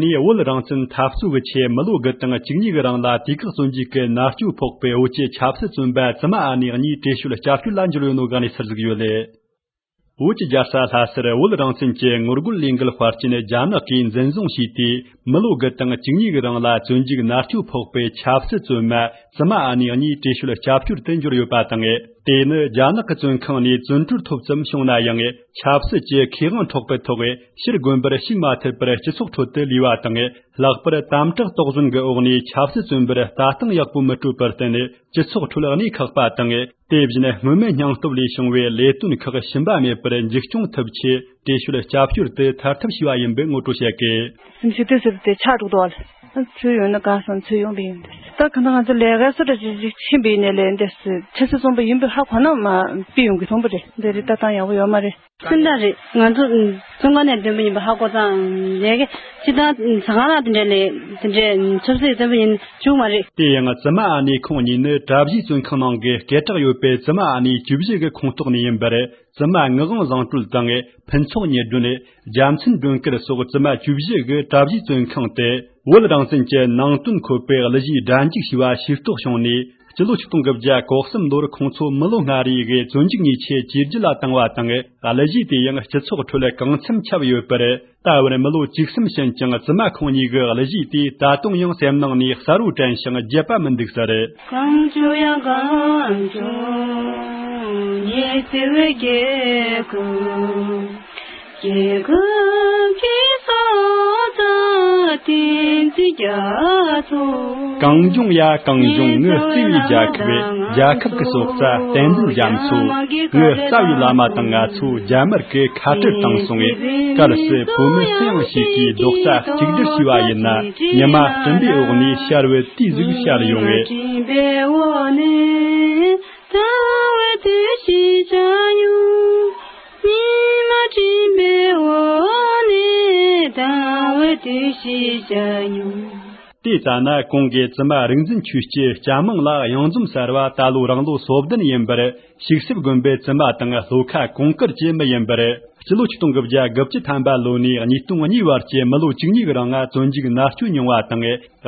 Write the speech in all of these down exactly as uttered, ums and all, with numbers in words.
ནས་བོད་རང་བཙན་འཐབ་རྩོད་ཀྱི་ཆེད་མི་ལོ་དགུ་དང་བཅུ་གཉིས་ཀྱི་རིང་ལ་དུས་བཀག་བཙོན་འཇུག་གི་མནར་གཅོད་ཕོག་པའི་བོད་ཀྱི་ཆབ་སྲིད་བཙོན་པ་བཙུན་མ་ཨ་ནེ་གཉིས་བྲོས་བྱོལ་སྐྱབས་བཅོལ་ལ་འབྱོར་ཡོད་ནོ་གང་ནས་ཚུར་གཟིགས་ཡོད་ལེ། བོད་ཀྱི་རྒྱལ་ས་ལྷ་སར་བོད་རང་བཙན་གྱི་ངོ་རྒོལ་ལས་འགུལ་དཔར་སྐྲུན་རྒྱ་ནག་གིས་འཛིན་བཟུང་བྱས་ཏེ། མི་ལོ་དགུ་དང་བཅུ་གཉིས་ཀྱི་རིང་ལ་བཙོན་འཇུག་མནར་གཅོད་ཕོག་པའི་ཆབ་སྲིད་བཙོན་མ་བཙུན་མ་ཨ་ནེ་གཉིས་བྲོས་བྱོལ་སྐྱབས་བཅོལ་དུ་འབྱོར་ཡོད་པ་དང་། དེ་ནི་རྒྱ་ནག་གི་བཙོན་ཁང་ནས་བཙོན་གྲོལ་ཐོབ་ཙམ་བྱུང་ན་ཡང་། ཆབ་སྲིད་ཀྱི་ཁེ་དབང་འཕྲོག་པའི་ཐོག་ཕྱིར་དགོན་པར་ཞུགས་མ་ཐུབ་པར་སྤྱི་ཚོགས་ཁྲོད་དུ་ལུས་པ་དང་། ལྷག་པར་དམ་དྲག་དོགས་ཟོན་གྱི་འོག་ནས་ཆབ་སྲིད་བཙོན་པར་ལྟ་སྟངས་ཡག་པོ་མི་སྤྲོད་པར་བརྟེན། སྤྱི་ཚོགས་ཁྲོད་གནས་ཁག་པ་དང་། དེ་བཞིན་སྔོན་མའི་སྙིང་སྟོབས་ལས་བྱུང་བའི་ལས་དོན་ཁག་ཞུམ་པ་མེད་པར་མཇུག་སྐྱོང་ཐུབ་ཆེད་བྲོས་བྱོལ་སྐྱབས་བཅོལ་དུ་ཐར་ཐབས་བྱས་པ་ཡིན་པའི་ངོ་སྤྲོད་བྱས་ཀྱི། སེམས་ཤུགས་དེ་ཟེར་ཏེ་ཆག་འགྲོ་འདུག་བ། ཚུར་ཡོང་ན་དགའ་སོང་། ཚུར་ཡོང་པའི་ཡིན་ཏེ། ད་གང་ལྟར་ང་ཚོ་ལས་ཀ་སོ་འདྲ་ཅིག་ཅིག་ཕྱིན་པའི་ཡིན་ནའི་ལས་འདི་ཆབ་སྲིད་བཙོན་པ་ཡིན་པའི་ཧ་གོ་ན་མ་ཕྱིར་ཡོང་གི་མཐོང་པ་རེད། འདི་རེད། ལྟ་སྟངས་ཡག་པོ་ཡོད་མ་རེད། སེམས་ཐག་རེད། ང་ཚོ་བཙོན་ཁང་ནས་བཏོན་པ་ཡིན་པ་ཧ་གོ་ཙང་ལས་ཀ་སྤྱི་བཏང་ཟ་ཁང་ནང་དེ་འདྲ་ལས་དེ་འདྲའི་ཆབ་སྲིད་བཙོན་པ་ཡིན་བཅུག་མ་རེད། དེ་ཡང་བཙུན་མ་ཨ་ནེ་ཁོང་གཉིས་ནི་གྲྭ་བཞིའི་བཙོན་ཁང་ནང་གི་སྐད་གྲགས་ཡོད་པའི་བཙུན་མ་ཨ་ནེ་བཅུ་བཞི་གི་ཁོངས་གཏོགས་ནས་ཡིན་པར། བཙུན་མ་ངག་དབང་བཟང་གྲོལ་དང་ཕུན་ཚོགས་ཉི་སྒྲོན། རྒྱལ་མཚན་སྒྲོལ་དཀར་སོགས་བཙུན་མ་བཅུ་བཞི་གིས་གྲྭ་བཞིའི་བཙོན་ཁང་དུ་བོད་རང་བཙན་གྱི་ནང་དོན་འཁོད་པའི་གླུ་གཞས་སྒྲ་འཇུག་བྱས་པ་ཤེས་རྟོགས་བྱུང་ནས། སྤྱི་ལོ་ཆིག་སྟོང་དགུ་བརྒྱ་གོ་གསུམ་ལོར་ཁོང་ཚོ་མི་ལོ་ལྔ་རེའི་གི་བཙོན་འཇུག་ཉེས་ཆད་བཅས་བརྒྱུད་ལ་བཏང་བ་དང་། གླུ་གཞས་དེ་ཡང་སྤྱི་ཚོགས་ཁྲོད་གང་འཚམ་ཁྱབ་ཡོད་པར། ད་བར་མི་ལོ་བཅུ་གསུམ་ཕྱིན་ཀྱང་བཙུན་མ་ཁོང་གཉིས་ཀྱི་གླུ་གཞས་དེ་ད་དུང་ཡང་སེམས་ནང་ནས་གསལ་བོ་དྲན་ཞིང་བརྗེད་པ་མི་འདུག་ཟེར། གངས་ལྗོངས་ཡ་གངས་ལྗོངས་ཉི་ཟེར་བའི་རྒྱལ་ཁབ། རྒྱལ་ཁབ་ཀྱི་སྲོག་རྩ་བསྟན་འཛིན་རྒྱ་མཚོ། གངས་ལྗོངས་ཡ་གངས་ལྗོངས་ངའི་བརྩེ་བའི་རྒྱལ་ཁབ། རྒྱལ་ཁབ་ཀྱི་སྲོག་རྩ་བསྟན་འཛིན་རྒྱ་མཚོ། ངའི་རྩ་བའི་བླ་མ་དང་ང་ཚོ་རྒྱ་དམར་གྱི་ཁ་བྲལ་བཏང་སོང་བས། གལ་སྲིད་བོད་མི་སུ་ཡང་ཞིག་གིས་རྡོག་རྩ་གཅིག་སྒྲིལ་བྱས་པ་ཡིན་ན། ཉི་མ་སྤྲིན་པའི་འོག་ནས་ཤར་བའི་དུས་ཟིག་ཤར་ཡོང་ངེས། སྤྲིན་པའི་འོག་ནས་ཟླ་བའི་དུས་ཤིག་ཤར་ཡོང་། ཉི་མ་སྤྲིན་པའི་འོག་ནས་ཟླ་བའི་དུས་ཤིག་ཤར་ཡོང་། དེ་ལྟ་ན་གོང་གི་བཙུན་མ་རིག་འཛིན་ཆོས་སྐྱིད་སྐྱ་མིང་ལགས་གཡང་འཛོམས་གསར་བ་ད་ལོ་རང་ལོ་སོ་བདུན་ཡིན་པར། ཤིག་སིབ་དགོན་པའི་བཙུན་མ་དང་ལྷོ་ཁ་གོང་དཀར་གྱི་མི་ཡིན་པར། སྤྱི་ལོ་ཆིག་སྟོང་དགུ་བརྒྱ་དགུ་བཅུ་ཐམ་པ་ལོ་ནས་ཉིས་སྟོང་གཉིས་བར་གྱི་མི་ལོ་བཅུ་གཉིས་ཀྱི་རིང་ང་བཙོན་འཇུག་མནར་གཅོད་མྱོང་བ་དང་།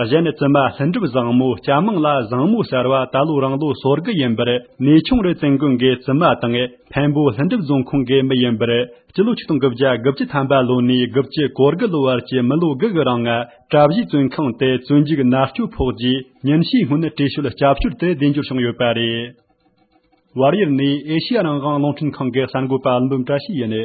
གཞན་བཙུན་མ་ལྷུན་གྲུབ་བཟང་མོ་སྐྱ་མིང་ལ་བཟང་མོ་གསར་བ་ད་ལོ་རང་ལོ་སོ་དགུ་ཡིན་པར། གནས་ཆུང་རི་བཙུན་དགོན་གྱི་བཙུན་མ་དང་། འཕན་པོ་ལྷུན་གྲུབ་རྫོང་ཁོངས་ཀྱི་མི་ཡིན་པར། སྤྱི་ལོ་ཆིག་སྟོང་དགུ་བརྒྱ་དགུ་བཅུ་ཐམ་པ་ལོ་ནས་དགུ་བཅུ་གོ་དགུ་ལོ་བར་གྱི་མི་ལོ་དགུ་གི་རིང་ང་གྲྭ་བཞིའི་བཙོན་ཁང་དུ་བཙོན་འཇུག་མནར་གཅོད་ཕོག་རྗེས། ཉིན་ཤས་སྔོན་བྲོས་བྱོལ་སྐྱབས་བཅོལ་དུ་བདེ་འབྱོར་བྱུང་ཡོད་པ་རེད། བལ་ཡུལ་ནས་ཨེ་ཤེ་ཡ་རང་དབང་རླུང་འཕྲིན་ཁང་གི་གསར་འགོད་པ་འབུམ་བཀྲ་ཤིས་ཡིན།